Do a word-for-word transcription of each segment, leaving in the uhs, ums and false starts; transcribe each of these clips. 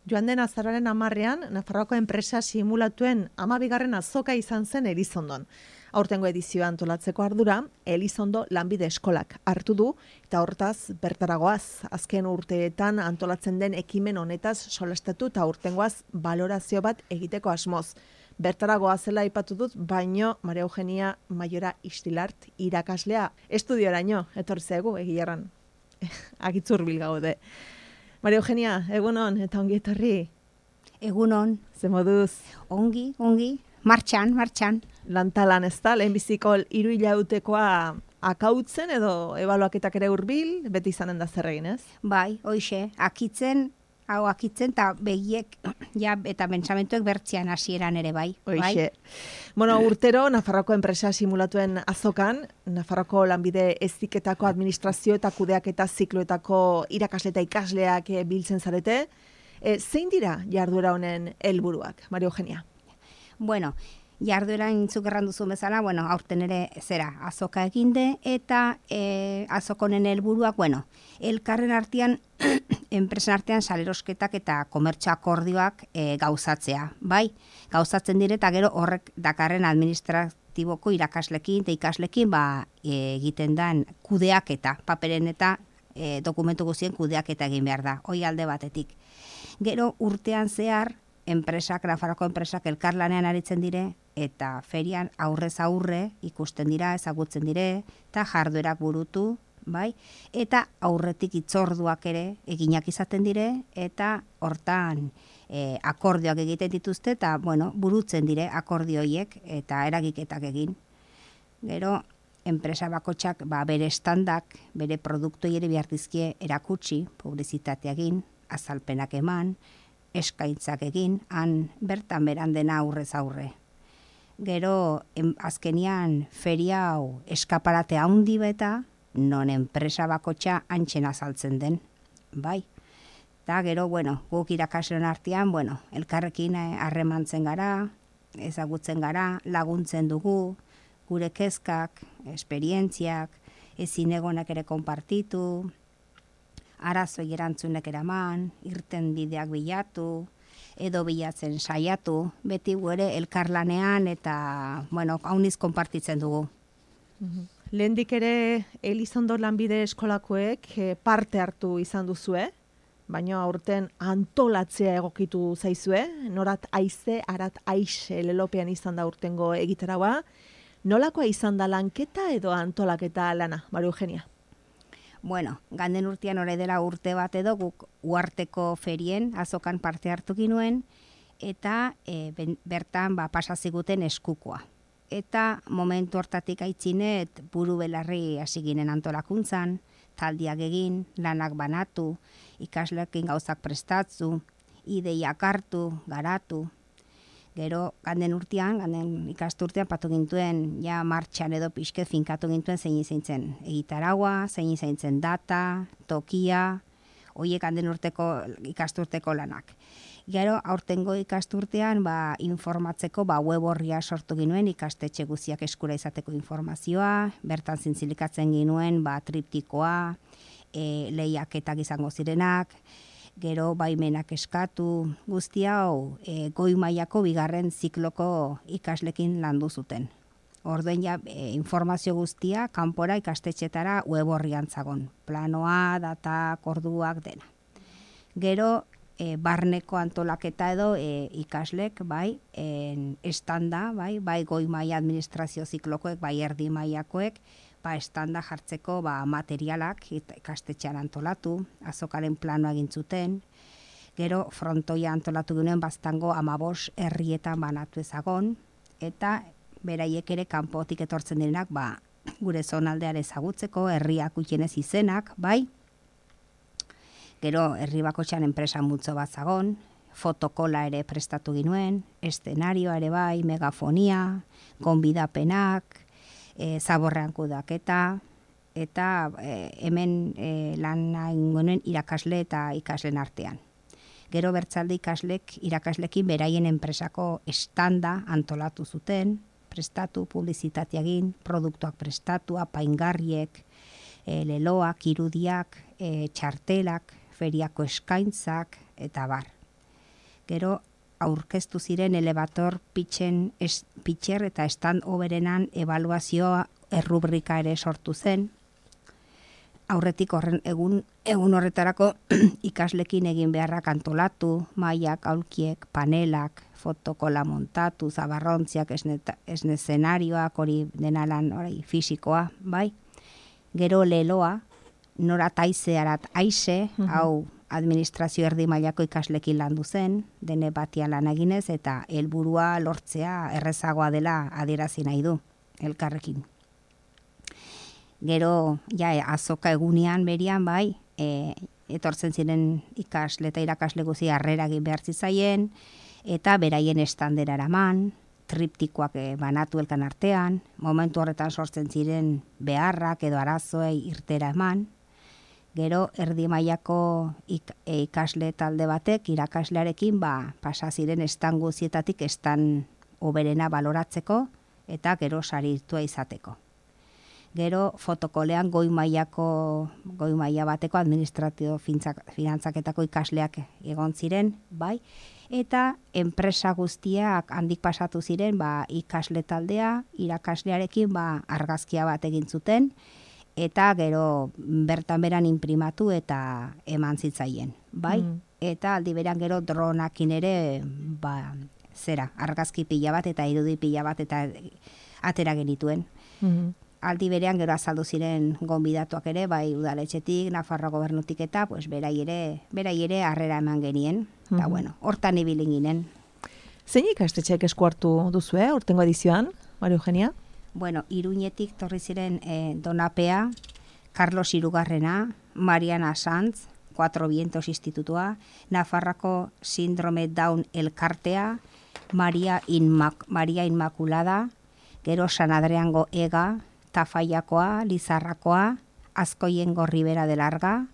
Joan den azaroaren hamarrean, Nafarroako enpresa simulatuen hamabigarren azoka izan zen Elizondon. Aurtengo edizioa antolatzeko ardura, Elizondo lanbide eskolak hartu du, eta hortaz bertaragoaz, azken urteetan antolatzen den ekimen honetaz solastatu eta aurtengoaz balorazio bat egiteko asmoz. Bertaragoa zela aipatu dut, baino Maria Eugenia Maiora Istilart irakaslea estudioraino etorri zaigu egiarran. Agitzurbil gaude. Maria Eugenia, egunon eta ongi etorri. Egunon. Ze moduz? Ongi, ongi. Martxan, martxan. Lantalan ez da, lehenbiziko hiru hilautekoa akautzen edo ebaluaketak ere hurbil, beti izanen da zer egin, ez? Bai, hoixe, akitzen, hau akitzen, eta begiek, ja, eta pentsamentuek bertzean hasieran ere bai. Hoixe. Bai? Bueno, urtero, Nafarroako enpresa simulatuen azokan, Nafarroako lanbide heziketako administrazio eta kudeaketa zikloetako irakasle eta ikasleak biltzen zarete. E, zein dira jarduera honen helburuak, Maria Eugenia? Bueno, jarduera intzuk errandu zuen bezala, bueno, aurten ere zera, azoka eginde, eta e, azokonen helburuak, bueno, elkarren artean, enpresen artean salerosketak eta komertxo akordioak e, gauzatzea, bai? Gauzatzen dire, eta gero horrek dakarren administratiboko irakaslekin eta ikaslekin, ba, e, egiten dan kudeaketa, paperen eta e, dokumentu guztien kudeaketa egin behar da, hoi alde batetik. Gero urtean zehar, enpresak, Nafarroako enpresak elkarlanean aritzen dire, eta ferian aurrez aurre ikusten dira, ezagutzen dire, eta jarduerak burutu, bai? Eta aurretik itzorduak ere eginak izaten dire, eta hortan e, akordioak egiten dituzte, eta bueno, burutzen dire akordioiek eta eragiketak egin. Gero, enpresa bakotxak ba, bere standak, bere produktoi ere bihartizkie erakutsi, publizitatea egin, azalpenak eman, eskaitzak egin, han bertan beran dena aurrez aurre. Gero, em, azkenian feria hau eskaparate handi beta, non enpresa bakotxa antxen azaltzen den, bai. Eta gero, bueno, guk irakasleen artean, bueno, elkarrekin harremantzen gara, ezagutzen gara, laguntzen dugu, gure kezkak, esperientziak, ezin egonak ere konpartitu, arazoi erantzunek eraman, irten bideak bilatu, edo bilatzen saiatu, beti ere elkarlanean eta, bueno, hauniz konpartitzen dugu. Mhm. Lehendik ere Elizondo lanbide eskolakoek parte hartu izan duzue, baina aurten antolatzea egokitu zaizue, norat aize, arat aixe lelopean izan da urtengo egitaragoa. Nolakoa izan da lanketa edo antolaketa lana, Maria Eugenia? Bueno, ganden urtean ore dela urte bat edo guk uarteko ferien azokan parte hartu ginuen eta e, ben, bertan ba, pasaziguten eskukoa. Eta momentu hortatik aitzinet buru belarri hasi ginen antolakuntzan, taldiak egin, lanak banatu, ikasleekin gauzak prestatzu, ideiak hartu, garatu. Gero, ganden urtean, ganden ikasturtean patu gintuen, ja martxan edo pixket finkatu gintuen zein izan zen egitaragua, zein izan zen data, tokia, horiek ganden urteko ikasturteko lanak. Gero, aurtengo ikasturtean, ba, informatzeko ba, web horria sortu ginuen, ikastetxe guziak eskura izateko informazioa, bertan zintzilikatzen ginuen, ba, triptikoa, e, lehiaketak izango zirenak, gero baimenak eskatu, guzti hau e, goi mailako bigarren zikloko ikaslekin landu zuten. Orduen ja e, informazio guztia kanpora ikastetxetara web horrian zagon. Planoa, data, orduak dena. Gero e, barneko antolaketa edo e, ikaslek bai en, estanda, bai, bai goi maila administrazio ziklokoek, bai erdi mailakoek, ba, estanda jartzeko ba, materialak ikastetxean antolatu, azokaren planoa egin zuten, gero frontoia antolatu ginen baztango amabos herrietan banatu ezagon, eta beraiek ere kanpotik etortzen direnak ba, gure zonaldeare ezagutzeko, herriak utienez izenak, bai, gero herri bakotxean enpresa multzo bat zagon, fotokola ere prestatu ginuen, eszenarioa ere bai, megafonia, gonbidapenak, E, zaborrean kudaketa, eta e, hemen e, lan ingonen irakasle eta ikaslen artean. Gero bertzalde ikaslek irakaslekin beraien enpresako estanda antolatu zuten, prestatu, publizitatea egin, produktuak prestatu, apaingarriek, e, leloak, irudiak, e, txartelak, feriako eskaintzak, eta bar. Gero aurkeztu ziren elevator pitchen es, pitcher eta stand overenan ebaluazioa errubrika ere sortu zen. Aurretik horren egun, egun horretarako ikaslekin egin beharrak antolatu, mailak, aulkiek, panelak, fotokola montatu, zabarrontziak, esne eszenarioak, hori denalan hori fisikoa, bai. Gero leloa, nora taizearat aize, uh-huh. hau administrazio erdi mailako ikaslekin landu zen, dene batia lan eginez, eta helburua lortzea errezagoa dela adierazi nahi du, elkarrekin. Gero, ja, azoka egunean berian, bai, e, etortzen ziren ikasle eta irakasle guzi harrera egin behar zitzaien, eta beraien estandera eraman, triptikoak e, banatu elkan artean, momentu horretan sortzen ziren beharrak edo arazoei irtera eman. Gero, erdi mailako ik, e, ikasle talde batek, irakaslearekin, ba, pasa ziren estan guzietatik estan oberena baloratzeko, eta gero saritua izateko. Gero fotokolean goi mailako goi maila bateko administrazio finantzaketako ikasleak egon ziren, bai, eta enpresa guztiak handik pasatu ziren, ba, ikasle taldea, irakaslearekin ba argazkia bat egin zuten, eta gero bertan beran inprimatu eta eman zitzaien, bai? Mm. Eta aldi beran gero dronakin ere ba zera, argazki pila bat eta irudi pila bat eta atera genituen. Mm. Aldi berean gero azaldu ziren gonbidatuak ere, bai udaletxetik, Nafarroa gobernutik eta, pues, berai ere, berai ere harrera eman genien. Eta, mm-hmm. bueno, hortan ibilin ginen. Zein ikastetxeek esku hartu duzu, eh, urtengo edizioan, Maria Eugenia? Bueno, Iruñetik torri ziren eh, Donapea, Carlos Hirugarrena, Mariana Sanz, Cuatro Vientos Institutua, Nafarrako Síndrome Down Elkartea, Maria, Inmac Maria Inmaculada, gero San Adriango Ega, Tafaiakoa, Lizarrakoa, Azkoiengo Ribera de Larga,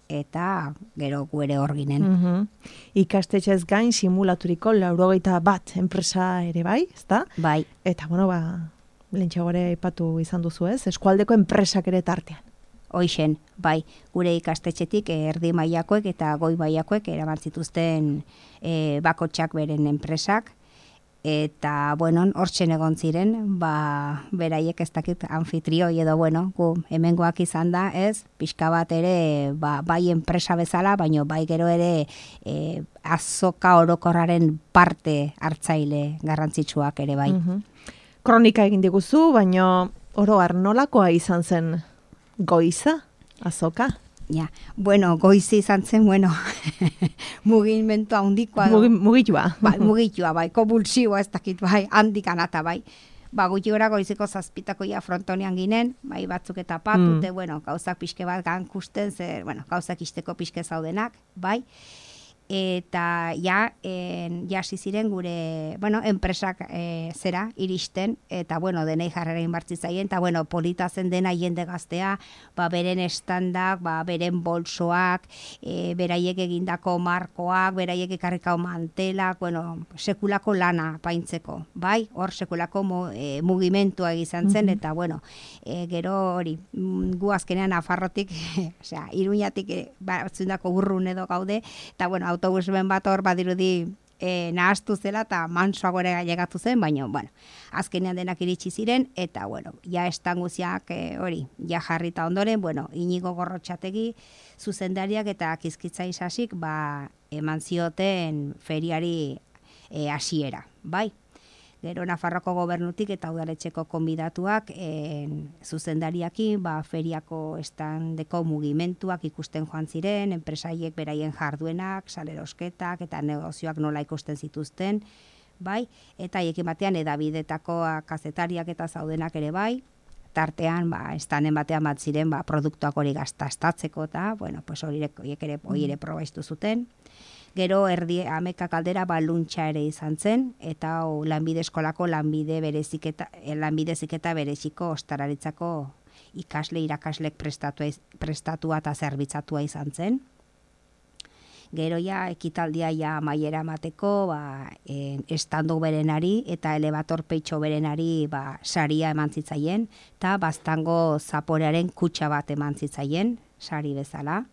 eta gero guere hor ginen. Uh-huh. Ikastetxez gain simulaturiko laurogeita bat enpresa ere bai, ezta? Bai. Eta, bueno, ba, lehentxagore aipatu izan duzu ez, eskualdeko enpresak ere tartean. Hoixen, bai, gure ikastetxetik erdi mailakoek eta goi mailakoek eraman zituzten e, bakotxak beren enpresak, eta, bueno, hortzen egon ziren, ba, beraiek ez dakit anfitrioi edo, bueno, gu hemengoak izan da, ez, pixka bat ere, ba, bai enpresa bezala, baino bai gero ere e, azoka orokorraren parte hartzaile garrantzitsuak ere bai. Uh-huh. Kronika egin diguzu, baino oro har nolakoa izan zen goiza, azoka? Ja, bueno, goizi izan zen, bueno, mugimendu handikoa. Mugi, mugitua. Bai, mugitua, bai, konvulsioa ez dakit, bai, handik anata, bai. Ba, gutxi gora goiziko zazpitako ja frontonean ginen, bai, batzuk eta patute, mm. bueno, gauzak pixke bat gankusten, zer, bueno, gauzak isteko pixke zaudenak, bai. Eta ja, en, jasi ziren gure, bueno, enpresak e, zera, iristen, eta, bueno, denei jarrerain bartzitzaien, eta, bueno, polita zen dena jende gaztea, ba, beren estandak, ba, beren bolsoak, e, beraiek egindako markoak, beraiek ekarrikao mantelak, bueno, sekulako lana paintzeko, bai? Hor sekulako mu, e, mugimentua egizan zen, mm-hmm. eta, bueno, e, gero hori, gu azkenean Nafarrotik, osea, Iruñatik, e, batzundako urrun edo gaude, eta, bueno, autobusben bat hor badirudi e, nahaztu zela eta mansoago ere llegatu zen, baina, bueno, azkenean denak iritsi ziren, eta, bueno, ja estanguziak e, hori, ja jarrita ondoren, bueno, Inigo Gorrotxategi zuzendariak eta Kizkitza Isasik, ba, eman zioten feriari e, hasiera, bai? Gero Nafarroko gobernutik eta udaletxeko konbidatuak en, zuzendariakin, ba, feriako estandeko mugimentuak ikusten joan ziren, enpresaiek beraien jarduenak, salerosketak eta negozioak nola ikusten zituzten, bai, eta haiekin batean edabidetako kazetariak eta zaudenak ere bai, tartean, ba, estanen batean bat ziren, ba, produktuak hori gaztastatzeko eta, bueno, pues hori ere, hori ere probaiztu zuten. Gero erdi amekak aldera baluntxa ere izan zen, eta o, lanbide eskolako lanbide bereziketa, lanbide ziketa bereziko ostararitzako ikasle irakaslek prestatua, prestatua eta zerbitzatua izan zen. Gero ja ekitaldia ja maiera mateko, ba, en, estando berenari eta elevator peitxo berenari ba, saria eman zitzaien, eta baztango zaporearen kutxa bat eman zitzaien, sari bezala.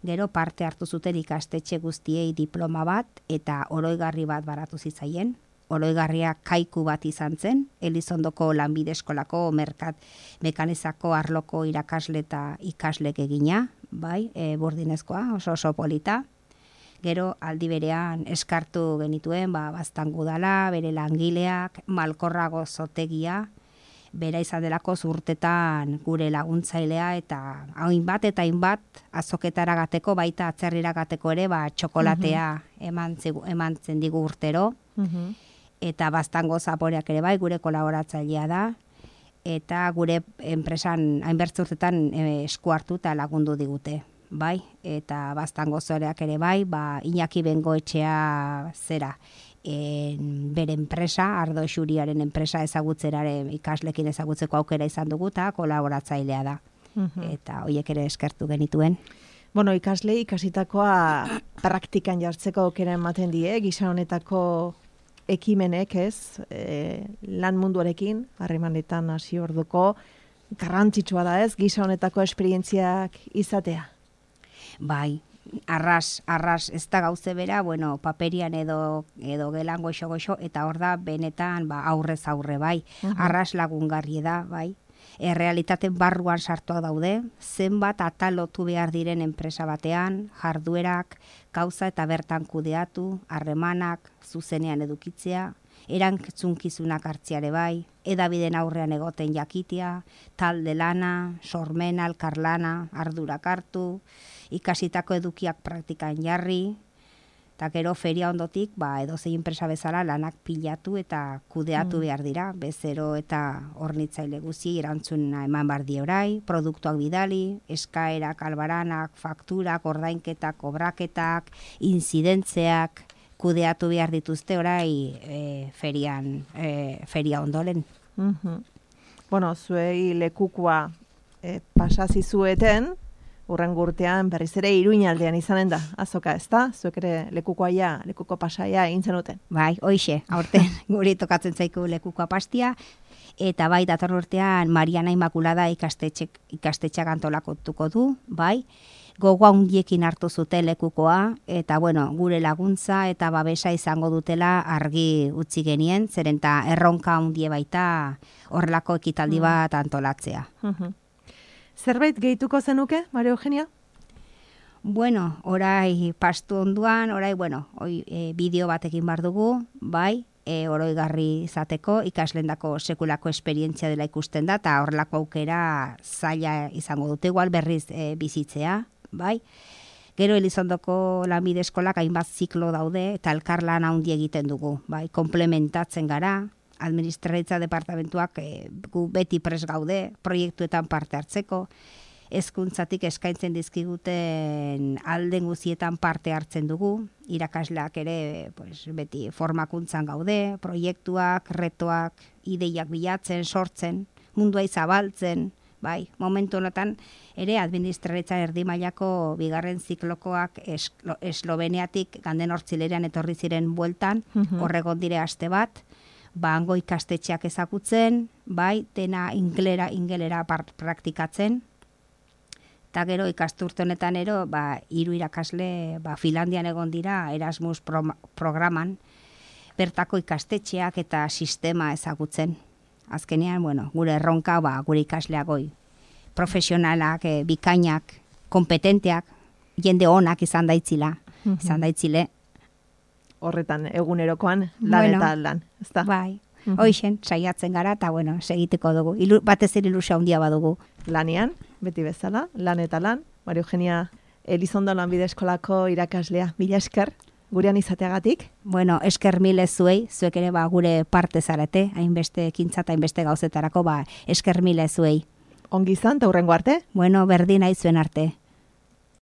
Gero parte hartu zuten ikastetxe guztiei diploma bat eta oroigarri bat baratu zitzaien. Oroigarria kaiku bat izan zen, Elizondoko lanbide eskolako merkat mekanizako arloko irakasle eta ikaslek egina, bai, e, burdinezkoa, oso oso polita. Gero aldi berean eskartu genituen, ba, Baztango udala, bere langileak, Malkorrago zotegia, bera izan delako urtetan gure laguntzailea eta hainbat eta hainbat azoketara gateko, baita atzerrira gateko ere, ba, txokolatea eman, zigu, eman zen digu urtero. Uh-huh. Eta Baztango zaporeak ere bai, gure kolaboratzailea da, eta gure enpresan hainbertze urtetan e, esku hartu eta lagundu digute, bai, eta Baztango zoreak ere bai, ba, Iñaki Bengoetxea zera, en, bere enpresa, Ardo Xuriaren enpresa ezagutzeraren ikaslekin ezagutzeko aukera izan dugu eta kolaboratzailea da, uh-huh. Eta horiek ere eskertu genituen. Bueno, ikasle ikasitakoa praktikan jartzeko aukera ematen die, gisa honetako ekimenek, ez, e, lan munduarekin, harremanetan hasi orduko, garrantzitsua da, ez, gisa honetako esperientziak izatea. Bai, arras, arras ez da gauze bera, bueno, paperian edo, edo gelan goxo-goxo, eta hor da benetan ba, aurrez aurre, bai, uh-huh. Arras lagungarri da, bai. Errealitaten barruan sartuak daude, zenbat atalotu behar diren enpresa batean, jarduerak, gauza eta bertan kudeatu, harremanak, zuzenean edukitzea, erantzunkizunak hartziare bai, edabiden aurrean egoten jakitea, talde lana, sormena, elkarlana, ardurak hartu, ikasitako edukiak praktikan jarri, eta gero feria ondotik, ba, edozein enpresa bezala lanak pilatu eta kudeatu mm. behar dira, bezero eta hornitzaile guzi erantzuna eman bardi orai, produktuak bidali, eskaerak, albaranak, fakturak, ordainketak, obraketak, inzidentzeak, kudeatu behar dituzte orai e, ferian, e, feria ondoren. Mm-hmm. Bueno, zuei lekukua e, pasazizueten, urrengo urtean berriz ere Iruñaldean izanen da, azoka, ezta? Zuek ere lekukoaia, lekuko pasaia egin zenuten. Bai, hoixe, aurten guri tokatzen zaiku lekukoa pastia, eta bai, dator urtean Mariana Immaculada ikastetxek, ikastetxeak antolakotuko du, bai, gogoa hundiekin hartu zuten lekukoa, eta bueno, gure laguntza eta babesa izango dutela argi utzi genien, zeren eta erronka hundie baita horrelako ekitaldi bat antolatzea. Uh-huh. Zerbait gehituko zenuke, Maria Eugenia? Bueno, orai pastu onduan, orai, bueno, oi, e, bideo batekin bar dugu, bai, e, oroigarri izateko, ikaslendako sekulako esperientzia dela ikusten da, eta horrelako aukera zaila izango dute, igual berriz e, bizitzea, bai. Gero Elizondoko lanbide eskolak hainbat ziklo daude, eta elkarlan handi egiten dugu, bai, komplementatzen gara, administraritza departamentuak e, gu beti pres gaude, proiektuetan parte hartzeko, hezkuntzatik eskaintzen dizkiguten alden guzietan parte hartzen dugu, irakasleak ere pues, beti formakuntzan gaude, proiektuak, retoak, ideiak bilatzen, sortzen, mundua izabaltzen, bai, momentu honetan ere administraritza erdi mailako bigarren ziklokoak eslo, Esloveniatik ganden hortzilerean etorri ziren bueltan, uh-huh. Horregon dire aste bat, ba, hango ikastetxeak ezagutzen, bai, dena ingelera, ingelera praktikatzen, eta gero ikasturte honetan ero, ba, hiru irakasle, ba, Finlandian egon dira Erasmus pro, programan, bertako ikastetxeak eta sistema ezagutzen. Azkenean, bueno, gure erronka, ba, gure ikasleak goi, profesionalak, e, bikainak, kompetenteak, jende onak izan daitzila, uh-huh. izan daitzile, horretan egunerokoan lan bueno, eta lan, ezta? Bai, uh-huh. Hoixen, saiatzen gara, eta bueno, segiteko dugu, Ilu, batez ere ilusia handia badugu. Lanean, beti bezala, lan eta lan, Maria Eugenia Elizondo lanbide eskolako irakaslea, mila esker, gurean izateagatik. Bueno, esker mile zuei, zuek ere ba, gure parte zarete, hainbeste ekintza eta hainbeste gauzetarako, ba, esker mile zuei. Ongi izan, eta hurrengo arte? Bueno, berdin nahi zuen arte.